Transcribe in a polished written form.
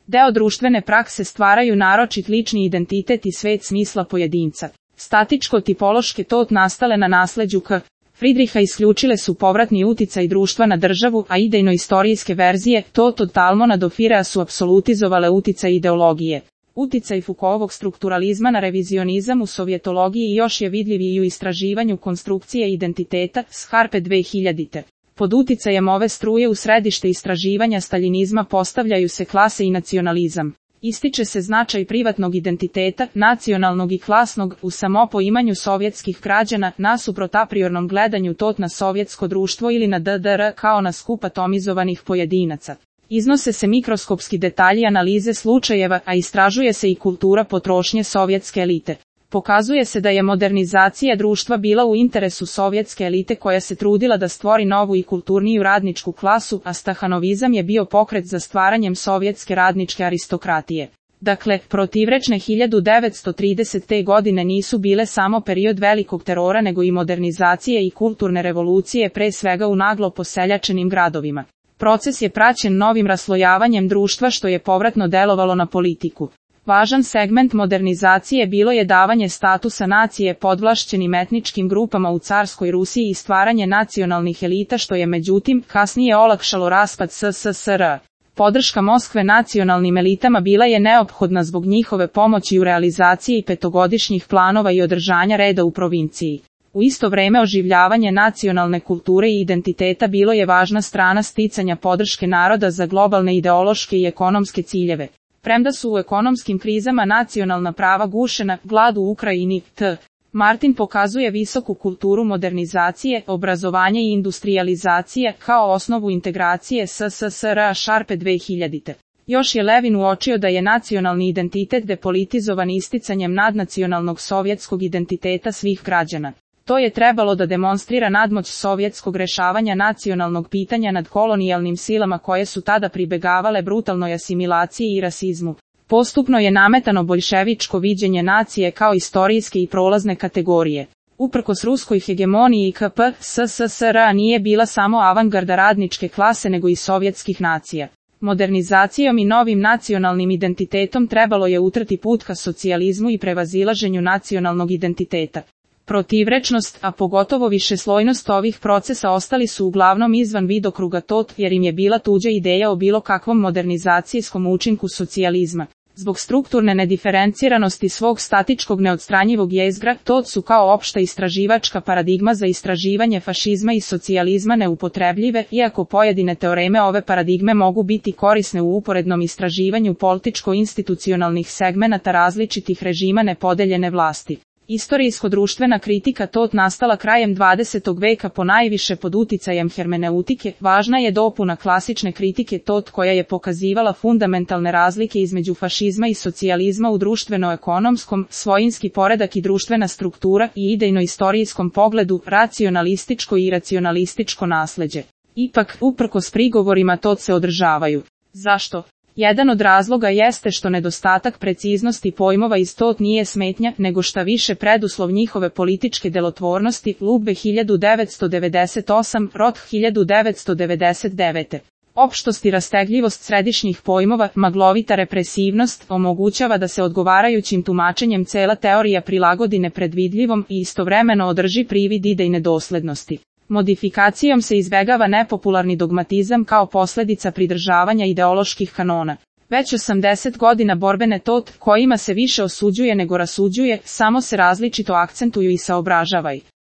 Deo društvene prakse stvaraju naročit lični identitet i svet smisla pojedinca. Statičko-tipološke tot nastale na nasleđu K. Friedricha isključile su povratni uticaj društva na državu, a idejno-istorijske verzije tot od Talmona do Firea su apsolutizovale uticaj ideologije. Uticaj Foucaultovog strukturalizma na revizionizam u sovjetologiji još je vidljiviji u istraživanju konstrukcije identiteta, Harpe 2000. Pod uticajem ove struje u središte istraživanja staljinizma postavljaju se klase i nacionalizam. Ističe se značaj privatnog identiteta, nacionalnog i klasnog, u samopoimanju sovjetskih građana, nasuprot apriornom gledanju tot na sovjetsko društvo ili na DDR kao na skup atomizovanih pojedinaca. Iznose se mikroskopski detalji analize slučajeva, a istražuje se i kultura potrošnje sovjetske elite. Pokazuje se da je modernizacija društva bila u interesu sovjetske elite koja se trudila da stvori novu i kulturniju radničku klasu, a stahanovizam je bio pokret za stvaranjem sovjetske radničke aristokratije. Dakle, protivrečne 1930. godine nisu bile samo period velikog terora nego i modernizacije i kulturne revolucije pre svega u naglo poseljačenim gradovima. Proces je praćen novim raslojavanjem društva što je povratno delovalo na politiku. Važan segment modernizacije bilo je davanje statusa nacije podvlašćenim etničkim grupama u carskoj Rusiji i stvaranje nacionalnih elita što je međutim kasnije olakšalo raspad SSSR. Podrška Moskve nacionalnim elitama bila je neophodna zbog njihove pomoći u realizaciji petogodišnjih planova i održanja reda u provinciji. U isto vreme oživljavanje nacionalne kulture i identiteta bilo je važna strana sticanja podrške naroda za globalne ideološke i ekonomske ciljeve. Premda su u ekonomskim krizama nacionalna prava gušena, glad u Ukrajini, t. Martin pokazuje visoku kulturu modernizacije, obrazovanja i industrijalizacije kao osnovu integracije SSSR Šarpe 2000. Još je Levin uočio da je nacionalni identitet depolitizovan isticanjem nadnacionalnog sovjetskog identiteta svih građana. To je trebalo da demonstrira nadmoć sovjetskog rešavanja nacionalnog pitanja nad kolonijalnim silama koje su tada pribegavale brutalnoj asimilaciji i rasizmu. Postupno je nametano boljševičko viđenje nacije kao istorijske i prolazne kategorije. Uprkos ruskoj hegemoniji KP, SSSR nije bila samo avangarda radničke klase nego i sovjetskih nacija. Modernizacijom i novim nacionalnim identitetom trebalo je utrti put ka socijalizmu i prevazilaženju nacionalnog identiteta. Protivrečnost, a pogotovo višeslojnost ovih procesa ostali su uglavnom izvan vidokruga tot jer im je bila tuđa ideja o bilo kakvom modernizacijskom učinku socijalizma. Zbog strukturne nediferenciranosti svog statičkog neodstranjivog jezgra, tot su kao opšta istraživačka paradigma za istraživanje fašizma i socijalizma neupotrebljive, iako pojedine teoreme ove paradigme mogu biti korisne u uporednom istraživanju političko-institucionalnih segmenata različitih režima nepodeljene vlasti. Istorijsko-društvena kritika tot nastala krajem 20. veka ponajviše pod uticajem hermeneutike, važna je dopuna klasične kritike tot koja je pokazivala fundamentalne razlike između fašizma i socijalizma u društveno-ekonomskom, svojinski poredak i društvena struktura i idejno-istorijskom pogledu, racionalističko i iracionalističko nasleđe. Ipak, uprkos prigovorima tot se održavaju. Zašto? Jedan od razloga jeste što nedostatak preciznosti pojmova iz tot nije smetnja, nego šta više preduslov njihove političke delotvornosti, Lube 1998, Roth 1999. Opštost i rastegljivost središnjih pojmova, maglovita represivnost, omogućava da se odgovarajućim tumačenjem cela teorija prilagodi nepredvidljivom i istovremeno održi privid idejne doslednosti. Modifikacijom se izbegava nepopularni dogmatizam kao posljedica pridržavanja ideoloških kanona. Već 80 godina borbene tot, kojima se više osuđuje nego rasuđuje, samo se različito akcentuju i saobražavaju.